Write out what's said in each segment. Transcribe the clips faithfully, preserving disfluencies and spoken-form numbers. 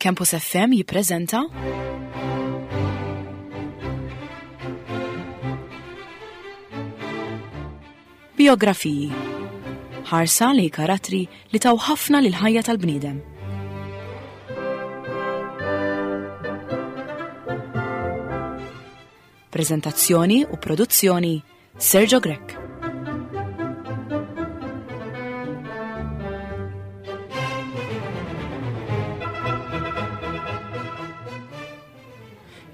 Campus F M jippreżenta Biografiji. Ħarsa li karattri li taw ħafna lil ħajja tal-bniedem. Prezentazzjoni u produzzjoni Sergio Grech.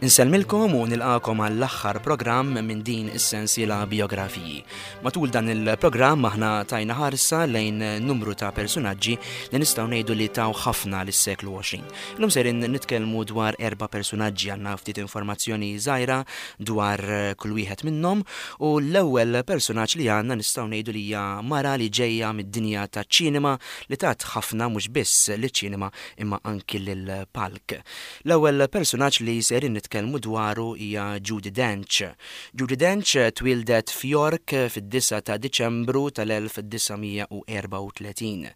Insellmilkom u nilqakom għall-aħħar programm minn din is-sensiela Biografiji. Matul dan il-programm aħna tajna ħarsa lejn numru ta' personaġġi li nistgħu ngħidu li taw ħafna lis-seklu għoxrin. Illum sejrin nitkellmu dwar erba' personaġġi, għandna ftit informazzjoni żgħira dwar kull wieħed minnhom, u l-ewwel personaġġ li għandna nistgħu ngħidu li hija mara li ġejja mid-dinja taċ-ċinema li tat ħafna mhux biss liċ-ċinema imma anki lill-palk. L-ewwel personaġġ li sejrin nitkellmu nitkellmu dwaru hija Judi Dench. Judi Dench twildet f'York fid-disgħa ta' Diċembru tal-elf disa' mija u erbgħa u tletin.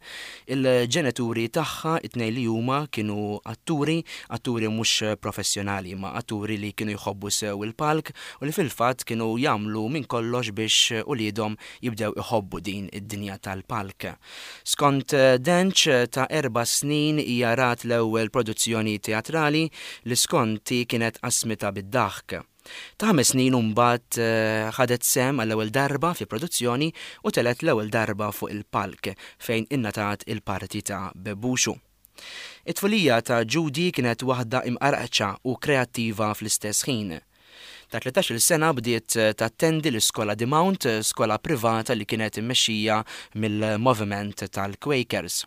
Il-ġenituri tagħha it-tnejn li huma kienu atturi, atturi mhux professjonali, ma atturi li kienu jħobbu sew il-palk u li fil-fatt kienu jagħmlu minn kollox biex uliedhom jibdew iħobbu din id-dinja tal-palk. Skont Dench, ta' erba' snin hija rat l-ewwel produzzjoni teatrali li skonti kienet qasmita bid-daħk. Ta' ħames snin imbagħad, eh, ħadet sehem għall-ewwel darba fi produzzjoni u telet l-ewwel darba fuq il-palk fejn innatat il-parti ta' Bebuxu. It-tfulija ta' Judi kienet waħda imqarqċa u kreattiva fl-istess ħin. Ta' tlettax-il sena bdiet tattendi l-iskola The Mount, skola privata li kienet immexxija mill-moviment tal-Quakers.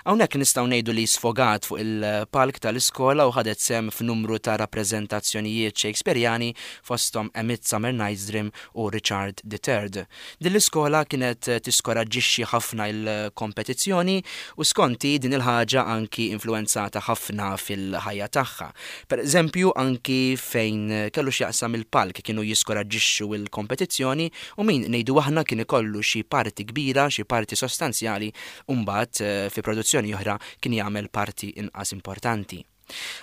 Hawnhekk nistgħu ngħidu li sfogat fuq il-palk tal-iskola u ħadet sehem f'numru ta' rappreżentazzjonijiet Shakespeareani fosthom A Midsummer Night's Dream u Richard the Third. Din l-iskola kienet tiskoraġġixxi ħafna il-kompetizzjoni u skonti din il-ħaġa anki influenzata ħafna fil-ħajja tagħha. Per eżempju, anki fejn kellu x'jaqsam il-palk kienu jiskoraġġixxu il-kompetizzjoni u min ngħidu aħna kien ikollu xi parti kbira, xi parti sostanzjali, u mbagħad, eh, fi produzzjoni oħra kien jagħmel parti inqas importanti.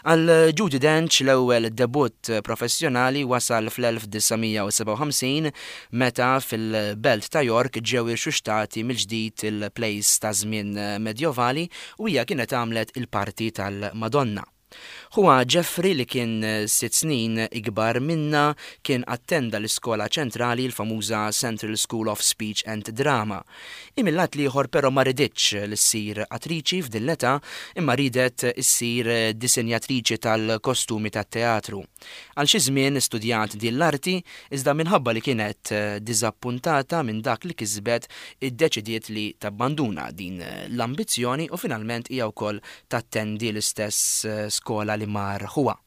Għal Judi Dench l-ewwel debutt professjonali wasal fl-elf disa' mija u sebgħa u ħamsin meta fil-belt ta' York ġew irxuxtati mill-ġdid il-plays ta' żmien medjovali u hija kienet għamlet il-parti tal-Madonna. Huwa Jeffrey li kien sitt snin ikbar minna kien attenda l-iskola ċentrali, l-famuża Central School of Speech and Drama. Imillat liħor però ma riditx li ssir attriċi f'din l-età imma ridet issir disinjatriċi tal-kostumi tat-teatru. Għal xi żmien studjat din l-arti iżda minħabba li kienet diżappuntata minn dak li kisbet iddeċidiet li tabbanduna din l-ambizzjoni u finalment hija wkoll tattendi l-istess skola li mar huwa.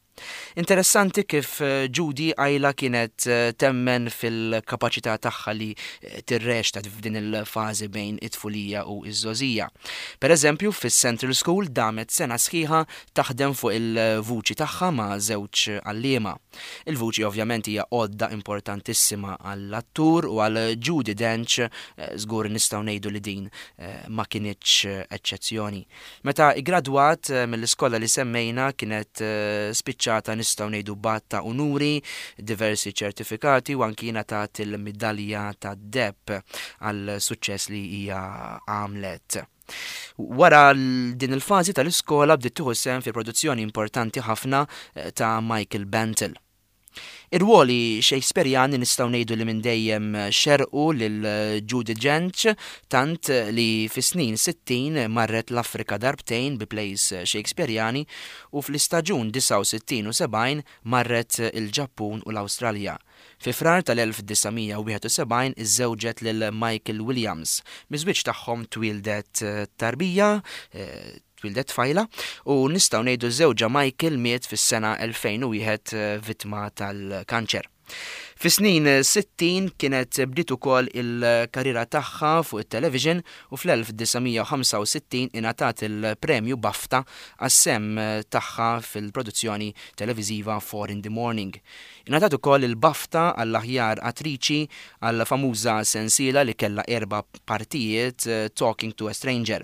Interessanti kif, eh, Judi għajla kienet, eh, temmen fil-kapaċità tagħha li, eh, tirrexta f'din il-fażi bejn it-tfulija u iż-żgħożija. Per eżempju, fis-Central School damet sena sħiħa taħdem fuq il-vuċi tagħha ma' żewġ għalliema. Il-vuċi ovvjament hija għodda importantissima għall-attur u għal Judi Dench, eh, żgur nistgħu ngħidu li din, eh, ma kinitx eċċezzjoni. Meta iggradwat, eh, mill-iskola li semmejna kienet, eh, spiċċata nistgħu ngħidu b'għadd ta' unuri, diversi ċertifikati u anki ngħatat il-midalja tad-deheb għal suċċess li hija għamlet. Wara l-, din il-fażi tal-iskola bdiet tieħu sehem fi produzzjoni importanti ħafna, eh, ta' Michael Bentle. Ir-ruoli Shakespeareani nistgħu ngħidu li minn dejjem xerqu lil Judi Dench, tant li fis-snin sittin marret l-Afrika darbtejn bi plays Shakespeareani u fl-istaġun disgħa u sittin u sebgħin marret il-Ġappun u l-Awstralja. Fi Frar tal-elf disa' mija u wieħed u sebgħin iżżewġet lil Michael Williams. Miż-żwieġ tagħhom twildet tarbija, eh, twildet tfajla, u nistgħu ngħidu żewġha Michael miet fis-sena elfejn u wieħed, eh, vittma tal-kanċer. Fis-snin sittin kienet bdiet ukoll il-karriera tagħha fuq it-television u fl-elf disa' mija u ħamsa u sittin ingħatat il-premju BAFTA għas-sehem tagħha fil-produzzjoni televiżiva Four in the Morning. Ingħatat ukoll il-BAFTA għall-aħjar attriċi għall-famuża sensiela li kellha erba' partijiet Talking to a Stranger.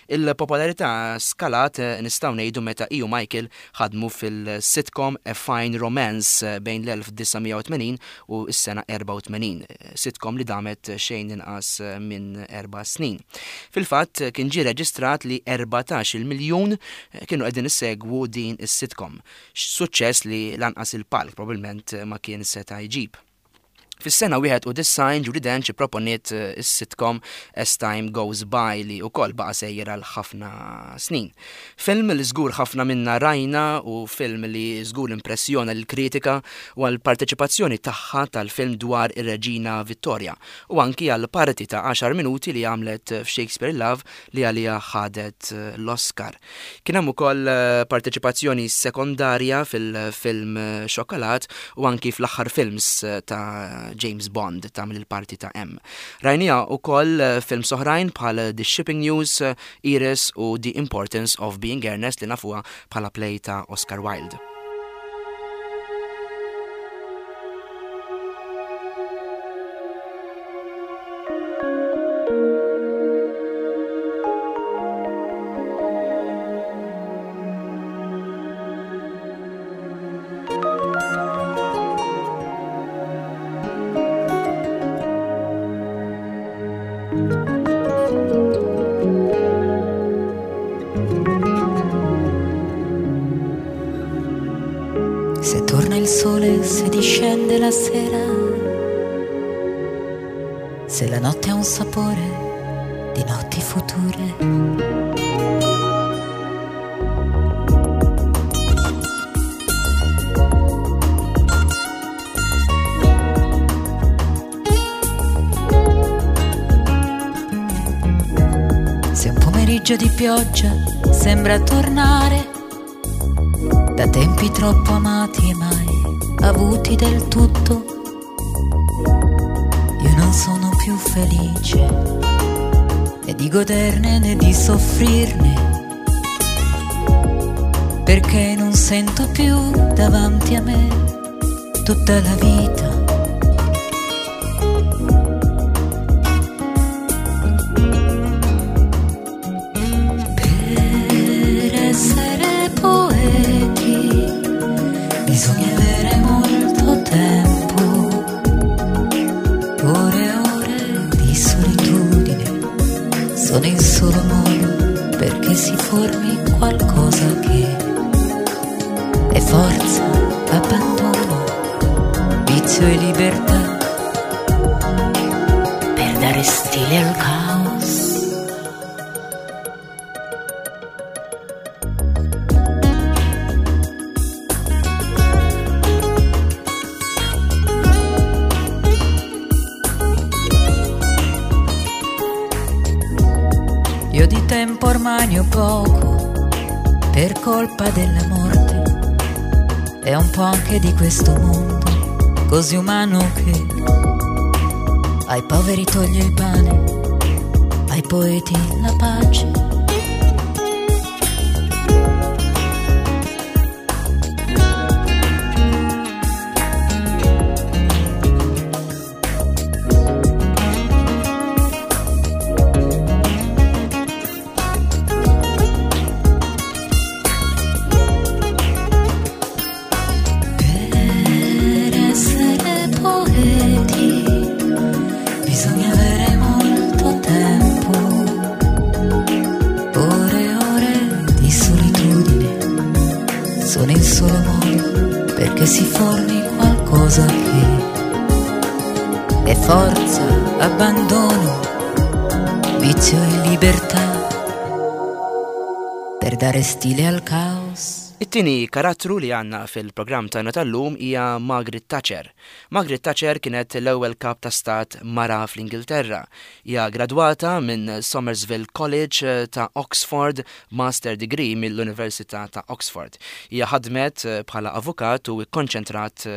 Il-popolarità skalat nistgħu ngħidu meta hi u Michael ħadmu fil-sitcom A Fine Romance bejn l-elf disa' mija u tmenin u s-sena erba' u tmenin, sitcom li damet xejn inqas minn erba' snin. Fil-fatt kien ġie reġistrat li erbatax-il miljun kienu qegħdin issegwu din is-sitcom, suċċess li lanqas il-palk probabbilment ma kien seta' jġib. Fis-sena wieħed u disgħin Judi Dench ipproponiet is-sitcom As Time Goes By li wkoll baqa' sejjer għal ħafna snin. Film li żgur ħafna minna rajna u film li żgur impressjona lill-kritika u għall-parteċipazzjoni tagħha tal-film dwar ir-Reġina Vittoria u anki għall parti ta' għaxar minuti li għamlet f'Shakespeare in Love li għaliha ħadet l-Oscar. Kien hemm ukoll parteċipazzjoni sekondarja fil-film Xokolat u anki fl-aħħar films ta' James Bond tagħmel il-parti ta' M. Rajnija wkoll films oħrajn bħal The Shipping News, Iris u The Importance of Being Earnest li nafuha bħala play ta' Oscar Wilde. Se torna il sole, se discende la sera, se la notte ha un sapore di notti future. Se un pomeriggio di pioggia sembra tornare da tempi troppo amati e mai avuti del tutto, io non sono più felice né di goderne né di soffrirne, perché non sento più davanti a me tutta la vita. Per essere poeti bisogna avere molto tempo, ore e ore di solitudine sono il solo modo perché si formi qualcosa che è forza, abbandono, vizio e libertà, per dare stile al caos. Io di tempo ormai ne ho poco, per colpa della morte e un po' anche di questo mondo così umano che ai poveri toglie il pane, ai poeti la pace. Sono il solo modo perché si formi qualcosa che è forza, abbandono, vizio e libertà, per dare stile al caos. It-tieni karattru li għandna fil-programm tagħna tal-lum hija Margaret Thatcher. Margaret Thatcher kienet l-ewwel kap ta' stat mara fl-Ingilterra. Hija gradwata minn Somerville College ta' Oxford, Master Degree mill-Università ta' Oxford. Hija ħadmet bħala avukat u kkonċentrat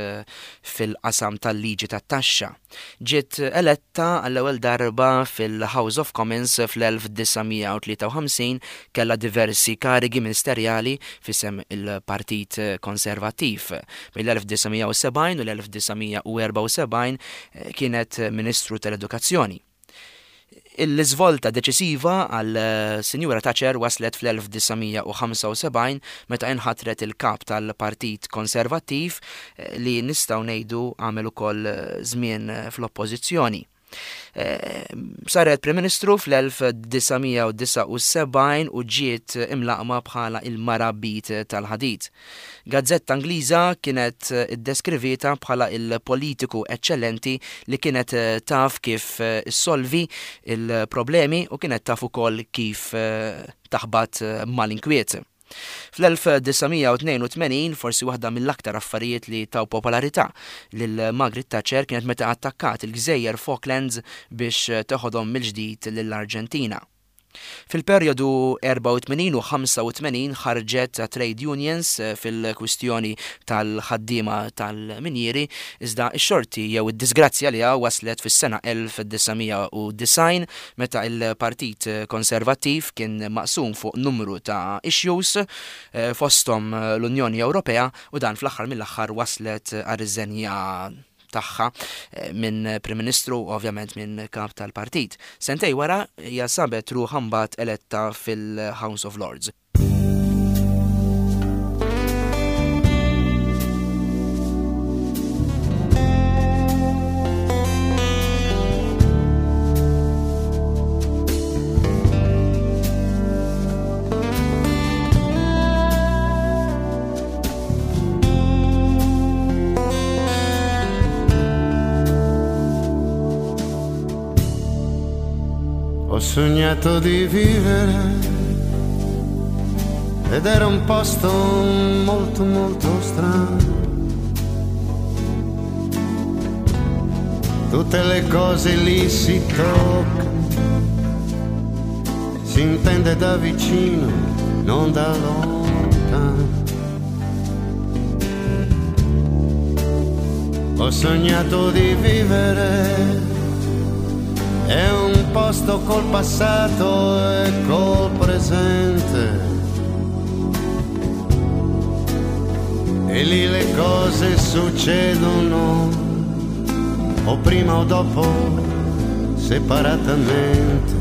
fil-qasam tal-liġi tat-taxxa. Ġiet eletta għall-ewwel darba fil-House of Commons fl-elf disa' mija u tlieta u ħamsin, kellha diversi karigi ministerjali f'isem il-Partit Konservattiv. Mill-elf disa' mija u sebgħin u l-elf disa' mija u erba' u sebgħin kienet Ministru tal-Edukazzjoni. Il-iżvolta deċisiva għal Sinjura Thatcher waslet fl-elf disa' mija u ħamsa u sebgħin meta inħatret il-kap tal-Partit Konservattiv li nistgħu ngħidu għamel ukoll żmien fl-oppożizzjoni. Eh, saret Prim Ministru fl-elf disa' mija u disa' u sebgħin u ġiet imlaqma bħala il-mara bit tal-ħadid. Gazzetta Ingliża kienet iddeskrivieta bħala il-politiku eċċellenti li kienet taf kif issolvi il-problemi u kienet taf ukoll kif taħbat mal-inkwiet. Fl-elf disa' mija u tnejn u tmenin, forsi waħda mill-aktar affarijiet li taw popolarità lil Margaret Thatcher kienet meta attakkat il-gżejjer Falklands biex teħodhom mill-ġdid lill-Arġentina. Fil-perjodu erba' u tmenin u ħamsa u tmenin ħarġet trade unions fil-kwistjoni tal-ħaddiema tal-minjieri, iżda x-xorti jew id-disgrazzja li waslet fis-sena elf disa' mija u disgħin meta il-Partit Konservattiv kien maqsum fuq numru ta' issues fosthom l-Unjoni Ewropea, u dan fl-aħħar mill-aħħar waslet għar-riżenja tagħha minn Prim Ministru u ovvjament minn kap tal-partit. Sentej wara hija sabet ruħha mbagħad eletta fil-House of Lords. Ho sognato di vivere ed era un posto molto molto strano. Tutte le cose lì si toccano, si intende da vicino, non da lontano. Ho sognato di vivere, è un posto col passato e col presente, e lì le cose succedono o prima o dopo separatamente.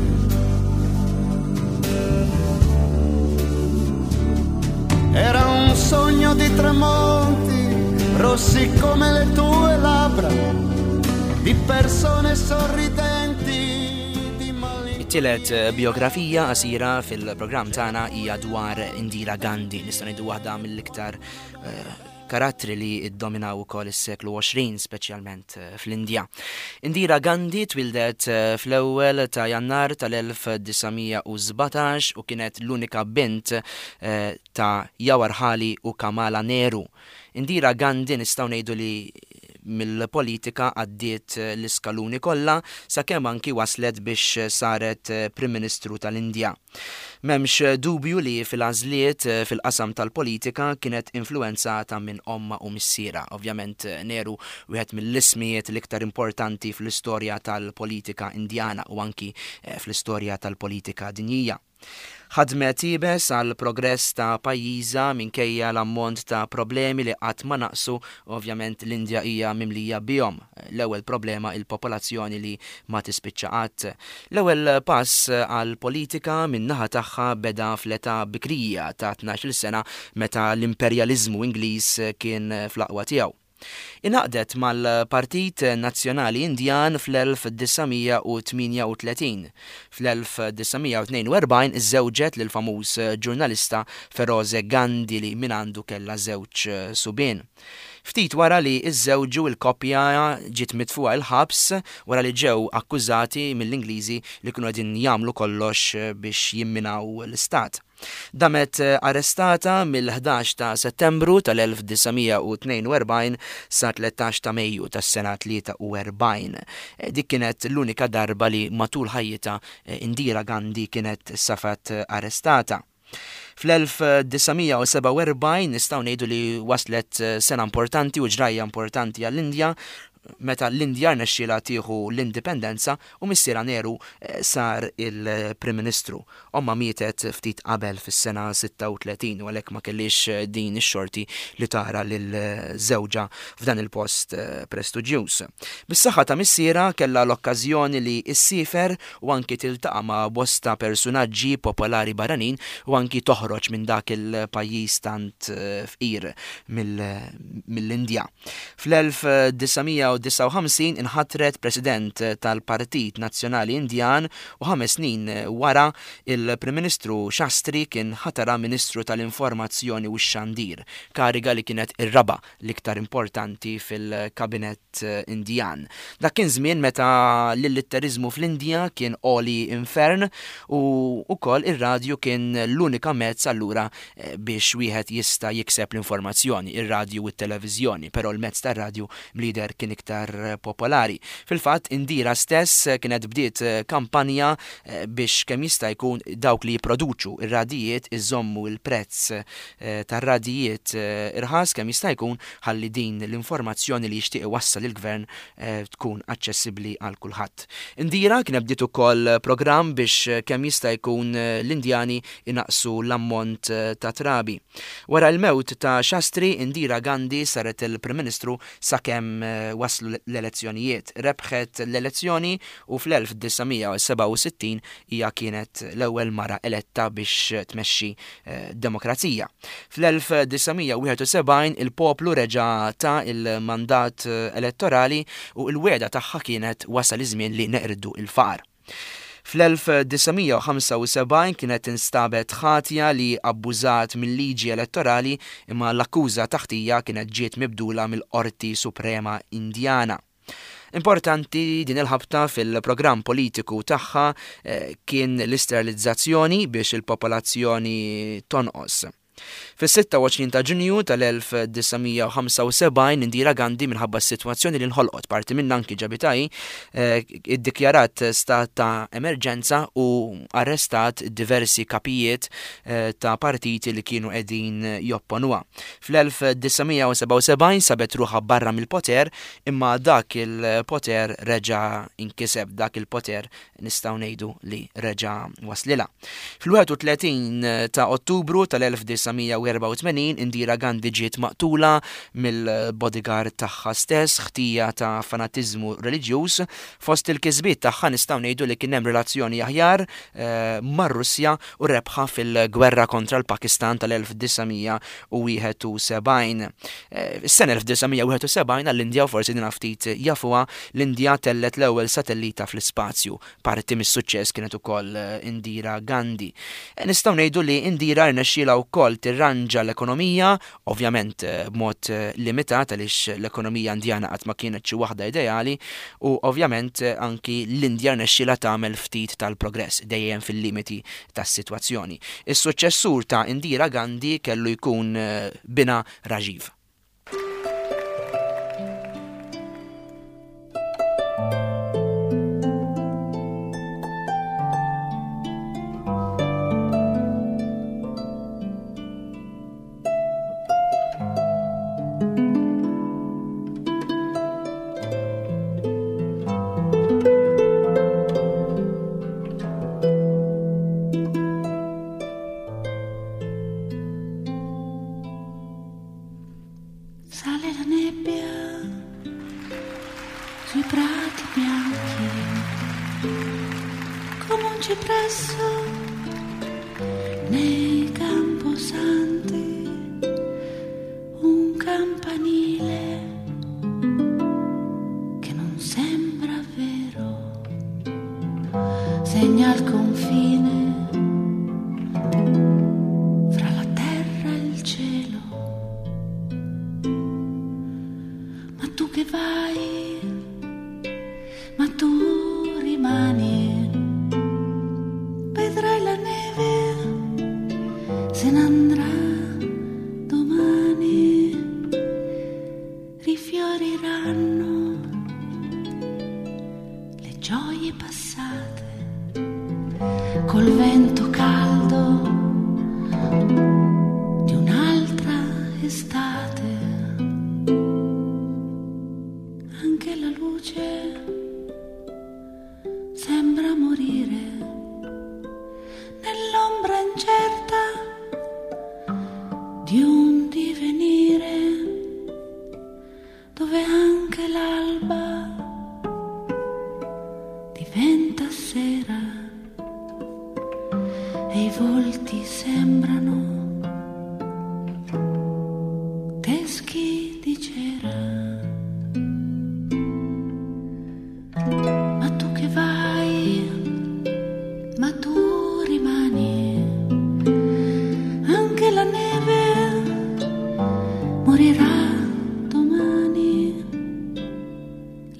Era un sogno di tramonti rossi come le tue labbra, di persone sorridenti. It-tielet biografija qasira fil-programm tagħna hija dwar Indira Gandhi, nistgħu ngħidu waħda mill-iktar, eh, karattri li iddominaw ukoll is-seklu għoxrin, speċjalment, eh, fl-Indja. Indira Gandhi twildet, eh, fl-ewwel ta' Jannar tal-elf disa' mija u sbatax u kienet l-unika bint, eh, ta' Jawaharlal u Kamala Nehru. Indira Gandhi nistgħu ngħidu li mill-politika għaddiet l-iskaluni kollha sakemm anki waslet biex saret Prim Ministru tal-Indja. M'hemmx dubju li fil-għażliet fil-qasam tal-politika kienet influenzata minn omma u missiera. Ovvjament Nehru wieħed mill-ismijiet l-iktar importanti fl-istorja tal-politika indjana u anki fl-istorja tal-politika dinjija. Ħadmet iebes għal progress ta' pajjiżha minkejja l-ammont ta' problemi li qatt ma naqsu, ovvjament l-Indja hija mimlija bihom. L-ewwel problema il-popolazzjoni li ma tispiċċa qatt. L-ewwel pass għal politika min-naħa tagħha beda fl-età bikrija ta' tnax-il sena meta l-imperjaliżmu Ingliż kien fl-aqwa tiegħu. Ingħaqdet mal-Partit Nazzjonali Indjan fl-elf disa' mija u tmienja u tletin. Fl-elf disa' mija u tnejn u erbgħin iżżewġet lil famuż ġurnalista Feroze Gandhi li minn għandu kellha żewġ subien. Ftit wara li iżżewġu l-koppja ġiet mitfuqa l-ħabs wara li ġew akkużati mill-Ingliżi li kienu qegħdin jagħmlu kollox biex jimminaw l-istat. Damet arrestata mill-ħdax ta' Settembru tal-elf disa' mija u tnejn u erbgħin sa tlettax ta' Mejju tas-sena tlieta u erbgħin. Dik kienet l-unika darba li matul ħajjitha Indira Gandhi kienet safat arrestata. Fl-elf disa' mija u sebgħa u erbgħin nistgħu ngħidu li waslet sena importanti u ġrajja importanti għall-Indja, meta l-Indja rnexxielha tieħu l-indipendenza u missiera Nehru sar il-Prim Ministru. Omma mietet ftit qabel fis-sena sitta u tletin u għalhekk ma kellix din ix-xorti li tara lil żewġha f'dan il-post prestiġjuż. Bis-saħħa ta' missiera kellha l-okkażjoni li ssiefer u anki tiltaqa' ma' bosta personaġġi popolari barranin u anki toħroġ minn dak il-pajjiż tant fqir mill-Indja. Fl-elf disa' mija u disgħa u ħamsin inħatret President tal-Partit Nazzjonali Indjan u ħames snin wara il-Prim Ministru Shastri kien ħatara Ministru tal-Informazzjoni u x-Xandir, kariga li kienet ir-raba' l-iktar importanti fil-Kabinett Indjan. Dak kien żmien meta l-illitteriżmu fl-Indja kien għoli infern u wkoll ir-radju kien l-unika mezz allura biex wieħed jista' jikseb l-informazzjoni, ir-radju u t-televiżjoni, però l-mezz tar-radju mlider kien iktar popolari. Fil-fatt, Indira stess kienet bdiet kampanja biex kemm jista' jkun dawk li jipproduċu ir-radijiet iżommu l-prezz tar-radijiet irħas kemm jista' jkun ħalli din l-informazzjoni li jixtieq iwassal il-gvern tkun aċċessibbli għal kulħadd. Indira kienet bdiet ukoll programm biex kemm jista' jkun l-Indjani inaqsu l-ammont ta' trabi. Wara l-mewt ta' Shastri, Indira Gandhi saret il-Prim Ministru sakemm waslu l-elezzjonijiet. Rebħet l-elezzjoni u fl-elf disa' mija u sebgħa u sittin hija kienet l-ewwel mara eletta biex tmexxi demokrazija. Fl-elf disa' mija u wieħed u sebgħin il-poplu reġa' ta' il-mandat elettorali u l-wegħda tagħha kienet wasal iż-żmien li neqirdu il-faqar. Fl-elf disa' mija u ħamsa u sebgħin kienet instabet ħatja li abbużat mill-liġi elettorali imma l-akkuża taħtija kienet ġiet mibdula mill-Qorti Suprema Indjana. Importanti din il-ħabta fil-programm politiku tagħha kien l-isterilizzazzjoni biex il-popolazzjoni tonqos. Fis-sitta u għoxrin ta' Ġunju tal-elf disa' mija u ħamsa u sebgħin Indira Gandhi minħabba s-sitwazzjoni li nħolqot parti minn anki ġabitaj, iddikjarat stat ta' emerġenza u arrestat diversi kapijiet ta' partiti li kienu qegħdin jopponuha. Fl-elf disa' mija u sebgħa u sebgħin sabet ruħha barra mill-poter imma dak il-poter reġa' inkiseb, dak il-poter nistgħu ngħidu li reġa' waslilha. Fil-wieħed u tletin ta' Ottubru tal-elf disa' mija u erbgħa u tmenin Indira Gandhi ġiet maqtula mill-bodyguard tagħha stess, ħtija ta' fanatiżmu reliġjuż. Fost il-kisbiet tagħha nistgħu ngħidu li kien hemm relazzjoni aħjar mar-Russja u rebħa fil-gwerra kontra l-Pakistan tal-elf disa' mija u wieħed u sebgħin. Is-sena elf disa' mija u wieħed u sebgħin għall-Indja u forsi din ftit jafuha, l-Indja tellet l-ewwel satellita fl-ispazju. Parti mis-suċċess kienet ukoll Indira Gandhi. Nistgħu ngħidu li Indira rnexxielha wkoll tirranġa l-ekonomija, ovvjament b'mod limitat għaliex l-ekonomija Indjana qatt ma kienet xi waħda ideali, u ovvjament anki l-Indja rnexxielha tagħmel ftit tal-progress dejjem fil-limiti tas-sitwazzjoni. Is-suċċessur ta' Indira Gandhi kellu jkun bina Rajiv. Rimani, vedrai la neve Teschi di cera. Ma tu che vai, ma tu rimani, anche la neve morirà domani,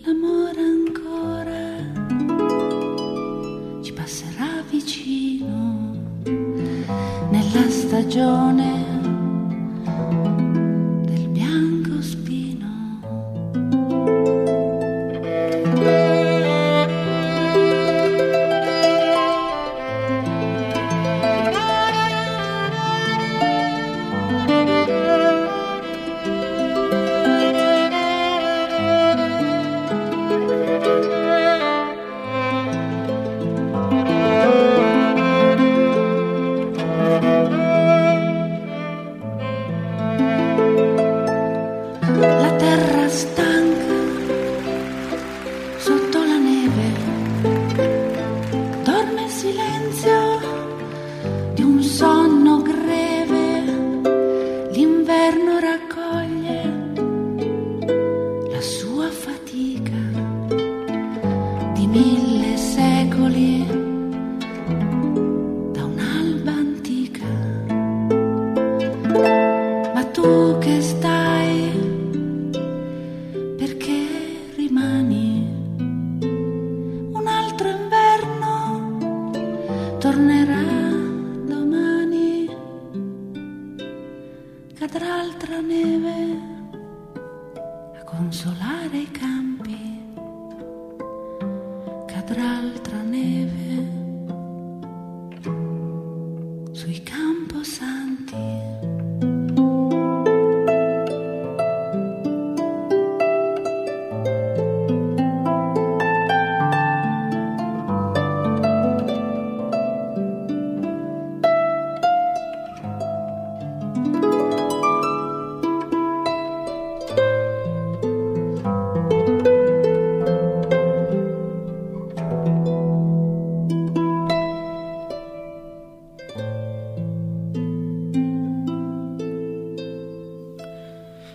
l'amore ancora ci passerà vicino nella stagione del biancospino. La terra stanca sotto la neve dorme il silenzio di un sonno greve. L'inverno raccoglie la sua fatica di mille secoli da un'alba antica. Ma tu che stai, perché rimani? Un altro inverno tornerà domani, cadrà altra neve a consolare i campi, cadrà altra neve sui camposanti.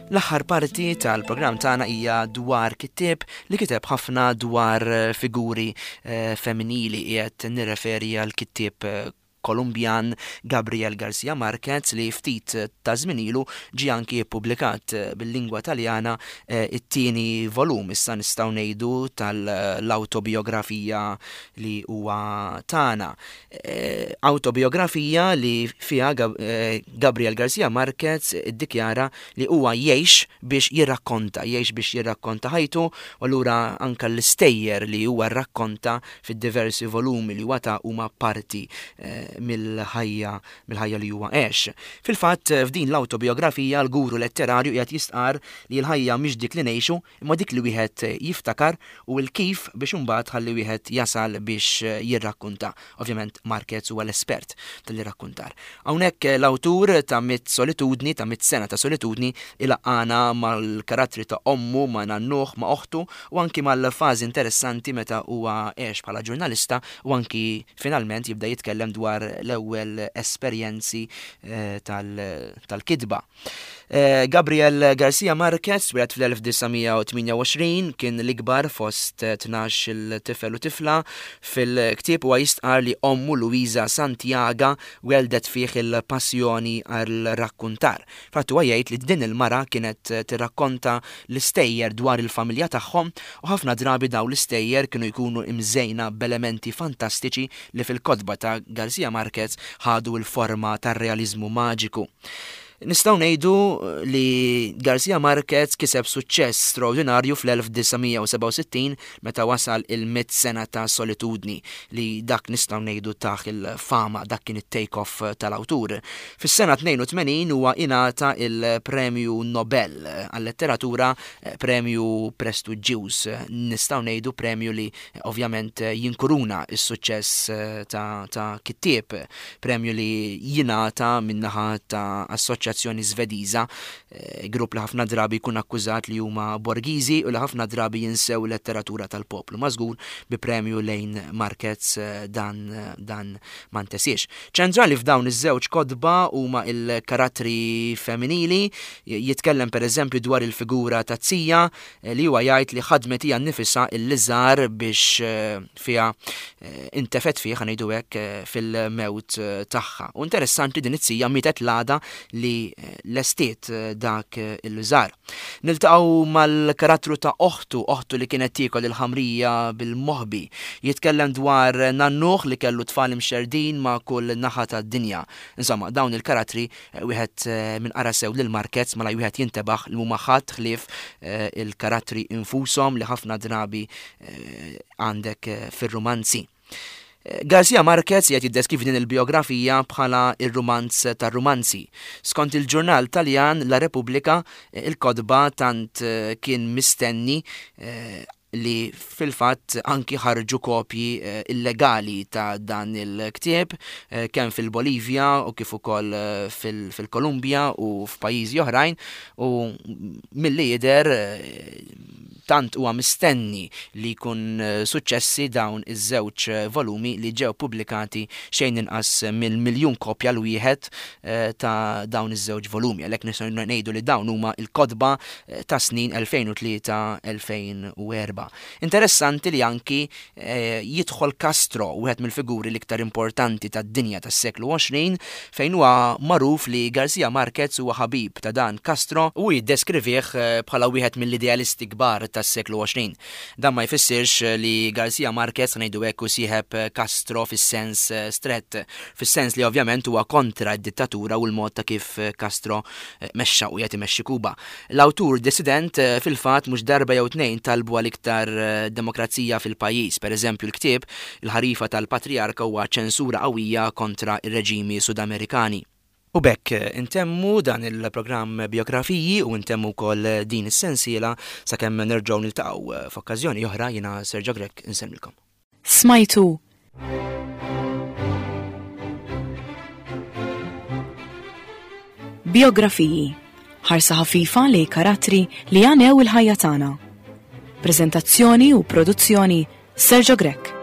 L-aħħar parti tal-programm tagħna hija dwar kittieb li kiteb ħafna dwar eh, figuri eh, femminili. Qiegħed nirreferi għal kittieb eh, Kolumbjan Gabriel Garcia Marquez li ftit ta' żmien ilu ġie anki ppubblikat bil-lingwa Taljana eh, it-tieni volum, issa nistgħu ngħidu, tal-awtobiografija li huwa tagħna. Eh, Awtobiografija li fiha Gab- eh, Gabriel Garcia Marquez iddikjara li huwa jgħix biex jirrakkonta, jgħix biex jirrakkonta ħajtu, u allura anka l-istejjer li huwa rrakkonta fid-diversi volumi li huwa ta huma parti eh, mill-ħajja mill-ħajja li huwa għex. Fil-fatt, f'din l-awtobiografija l-guru letterarju qiegħed jistqar li l-ħajja mhix dik li ngħixu, imma dik li wieħed jiftakar u l-kif biex imbagħad ħalli wieħed jasal biex jirrakkunta. Ovvjament Marquez huwa l-espert tal-irrakkuntar. Hawnhekk l-awtur ta' Mitt Solitudni, ta' Mitt Sena ta' Solitudni, ilaqqana mal-karattri ta' ommu, ma' nannuh, ma' oħtu u anki mal-fażi interessanti meta huwa għex bħala ġurnalista u anki finalment jibda jitkellem dwar l-ewwel esperjenzi eh, tal- tal-kitba. Eh, Gabriel Garcia Marquez twieled fl-elf disa' mija u tmienja u għoxrin, kien l-ikbar fost tnax il tifel u tifla. Fil-ktieb huwa jistqar li ommu Luisa Santiago weldet fih il-passjoni għal-rakkuntar. Fatt huwa jgħid li din il-mara kienet tirrakkonta l-istejjer dwar il-familja tagħhom u ħafna drabi daw l-istejjer kienu jkunu imżejna b'elementi fantastiċi li fil-kotba ta' Garcia Marquez ħadu l-forma tar-realizmu maġiku. Nistgħu ngħidu li Garcia Marquez kiseb suċċess straordinarju fl-elf disa' mija u sebgħa u sittin meta wasal il-mitt sena ta' solitudni li dak nistgħu ngħidu taħ il-fama, dak kien it-take-off tal-awtur. Fis-sena tnejn u tmenin huwa ingħata il-Premju Nobel għal-letteratura, premju prestiġjuż, nistgħu ngħidu premju li ovvjament jinkuruna s-suċċess ta', ta' kittieb, premju li jingħata min-naħa ta' assoċjazzjoni Assoċjazzjoni Svediża, eh, grupp li ħafna drabi jkun akkużat li huma borgiżi u li ħafna drabi jinsew letteratura tal-poplu. Ma żgur bi premju lejn Marquez eh, dan dan ma ntesiex. Ċentrali f'dawn iż-żewġ kotba huma il-karattri femminili, jitkellem pereżempju dwar il-figura ta' zija eh, li huwa jgħid li ħadmet hija nnifisha il-liżar biex eh, fiha eh, intefet fih, ħa ngħidu hekk, fil-mewt tagħha. U interessanti din it-zija mietet l-għada li lestiet dak il-liżar. Niltaqgħu mal-karattru ta' oħtu, oħtu li kienet tiekol il-ħamrija bil-moħbi. Jitkellem dwar nannuh li kellu tfal imxerdin ma' kull naħa tad-dinja. Insomma, dawn il-karattri eh, wieħed eh, minn qara sew lil Marquez mela wieħed jintebaħ li huma ħadd ħlief eh, il-karattri infushom li ħafna drabi għandek fir-rumanzi. Garcia Marquez qed jiddeskrivi din il-biografija bħala ir-rumanz tar-rumanzi. Skont il-ġurnal Taljan La Repubblica, il-kotba tant kien mistenni li fil-fatt anki ħarġu kopji eh, illegali ta' dan il-ktieb eh, kemm fil-Bolivja u kif ukoll eh, fil-Kolumbja u f'pajjiżi oħrajn u milli jidher tant huwa mistenni li jkun suċċessi dawn iż-żewġ volumi li ġew pubblikati xejn inqas minn miljun kopja l-wieħed ta' dawn iż-żewġ volumi. Għalhekk nistgħu ngħidu li dawn huma l-kotba ta' snin elfejn u tlieta elfejn u erba'. Interessanti li anki eh, jidħol Castro, wieħed mill-figuri l-iktar importanti tad-dinja tas-seklu għoxrin, fejn huwa magħruf li Garcia Marquez huwa ħabib ta' dan Castro u jiddeskrivih eh, bħala wieħed mill-idealisti kbar tas-seklu għoxrin. Dan ma jfissirx li Garcia Marquez ngħidu hekk u sieħeb Castro fis-sens eh, strett, fis-sens li ovvjament huwa kontra d-dittatura u l-mod ta' kif Castro mexxa u qed imexxi Kuba. L-awtur dissident fil-fatt mhux darba jew tnejn talbu għal iktar demokrazija fil-pajjiż. Per eżempju, l-ktieb Il-ħarifa tal-Patriarka huwa ċensura qawwija kontra ir-reġimi Sudamerikani. U bekk intemmu dan il-programm biografiji u intemmu wkoll din is-sensiela sakemm nerġgħu niltaqgħu f'okkażjoni oħra. Jiena Sergio Grech insellmilkom. Smajtu Biografiji, ħarsa ħafifa li karattri li għanew il-ħajja tagħna. Prezentazzjoni u produzzjoni Sergio Grech.